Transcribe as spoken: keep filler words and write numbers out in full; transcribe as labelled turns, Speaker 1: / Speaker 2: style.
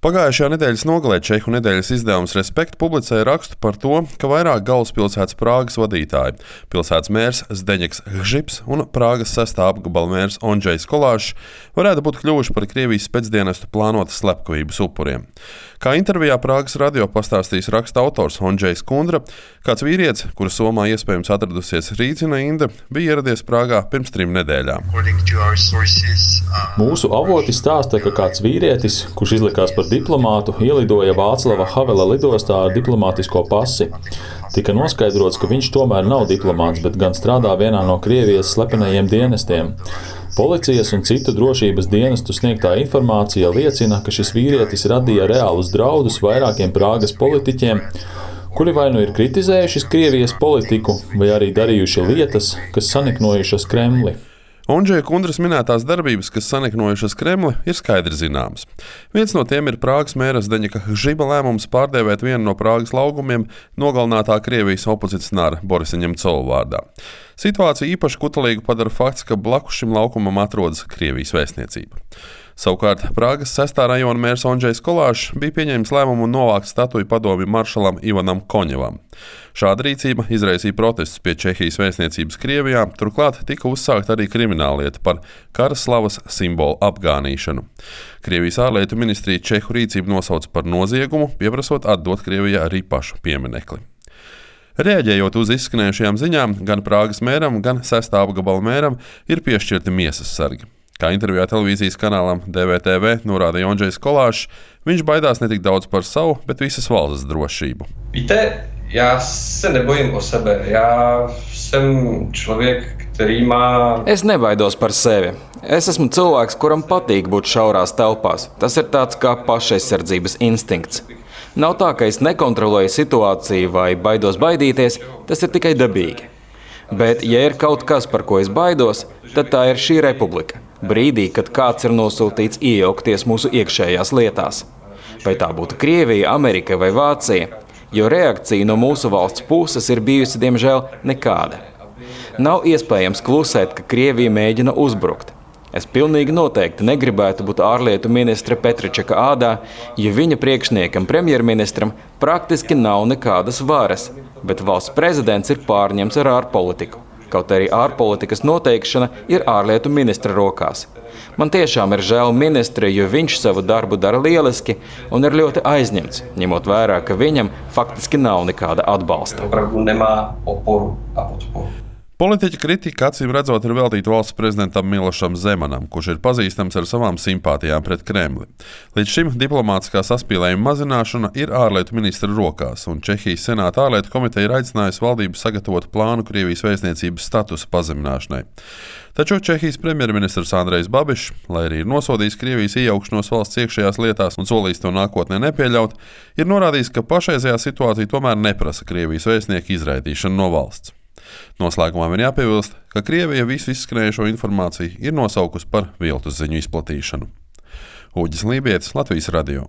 Speaker 1: Pagājušajā nedēļas nogalē čehu nedēļas izdevums Respekt publicēja rakstu par to, ka vairāk galvaspilsētas Prāgas vadītāji – pilsētas mērs Zdeņeks Gžips un Prāgas sestā apgabala mērs Ondžejs Kolāšs varētu būt kļuvuši par Krievijas specdienestu plānotas slepkavības upuriem. Kā intervijā Prāgas radio pastāstījis raksta autors Ondžejs Kundra, kāds vīrietis, kura Somā iespējams atradusies Rīdzina Inda, bija ieradies Prāgā pirms trim nedēļām.
Speaker 2: Mūsu avoti stāsta, ka kāds vīrietis, kurš izlikās par diplomātu, ielidoja Vāclava Havela lidostā ar diplomātisko pasi. Tika noskaidrots, ka viņš tomēr nav diplomāts, bet gan strādā vienā no Krievijas slepenajiem dienestiem. Policijas un citu drošības dienestu sniegtā informācija liecina, ka šis vīrietis radīja reālus draudus vairākiem Prāgas politiķiem, kuri vai nu ir kritizējuši Krievijas politiku, vai arī darījuši lietas, kas saniknojušas Kremli.
Speaker 1: Ondžeja Kundras minētās darbības, kas saniknojušas Kremli, ir skaidri zināmas. Viens no tiem ir Prāgas mēra Zdeņeka Gžiba lēmums pārdēvēt vienu no Prāgas laugumiem nogalinātā Krievijas opozicionāra Borisa Ņemcova vārdā. Situāciju īpaši kutelīgu padara fakts, ka blakus šim laukumam atrodas Krievijas vēstniecība. Savukārt Prāgas sestā rajona mērs Ondžejs Kolāšs bija pieņēmis lēmumu novākt statuju padomju maršalam Ivanam Koņevam. Šāda rīcība izraisīja protestus pie Čehijas vēstniecības Krievijā, turklāt tika uzsākta arī krimināllieta par kara slavas simbolu apgānīšanu. Krievijas ārlietu ministrija Čehu rīcību nosauca par noziegumu, pieprasot atdot Krievijai arī pašu pieminekli. Reaģējot uz izskanējušajām ziņām, gan Prāgas mēram, gan sestā apgabala mēram ir piešķirti miesas sargi. Kā intervijā televīzijas kanālam D V T V norādīja Ondžejs Kolāšs, viņš baidās ne tik daudz par savu, bet visas valsts drošību.
Speaker 3: Víte, já se nebojím o sebe. Já jsem člověk, který má...
Speaker 4: Es nebaidos par sevi. Es esmu cilvēks, kuram patīk būt šaurās telpās. Tas ir tāds kā pašaizsardzības instinkts. Nav tā, ka es nekontrolēju situāciju vai baidos baidīties, tas ir tikai dabīgi. Bet, ja ir kaut kas, par ko es baidos, tad tā ir šī republika. Brīdī, kad kāds ir nosūtīts iejaukties mūsu iekšējās lietās. Vai tā būtu Krievija, Amerika vai Vācija, jo reakcija no mūsu valsts puses ir bijusi, diemžēl, nekāda. Nav iespējams klusēt, ka Krievija mēģina uzbrukt. Es pilnīgi noteikti negribētu būt ārlietu ministra Petričaka ādā, ja viņa priekšniekam premjerministram praktiski nav nekādas varas, bet valsts prezidents ir pārņemts ar ārpolitiku. Kaut arī ārpolitikas noteikšana ir ārlietu ministra rokās. Man tiešām ir žēl ministra, jo viņš savu darbu dara lieliski un ir ļoti aizņemts, ņemot vērā, ka viņam faktiski nav nekāda atbalsta.
Speaker 1: Politiķa kritika acīm redzot ir veltīta valsts prezidentam Milošam Zemanam, kurš ir pazīstams ar savām simpātijām pret Kremli. Līdz šim diplomātiskā saspīlējuma mazināšana ir ārlietu ministra rokās, un Čehijas senāta ārlietu komiteja ir aicinājusi valdību sagatavot plānu Krievijas vēstniecības statusa pazemināšanai. Taču Čehijas premjerministrs Andrejs Babišs, lai arī ir nosodījis Krievijas iejaukšanos valsts iekšējās lietās un solījis to nākotnē nepieļaut, ir norādījis, ka pašreizējā situācija tomēr neprasa Krievijas vēstnieku izraidīšanu no valsts. Noslēgumā man jāpiebilst, ka Krievija visu izskanējušo informāciju ir nosaukusi par viltus ziņu izplatīšanu. Uģis Lībietis, Latvijas radio.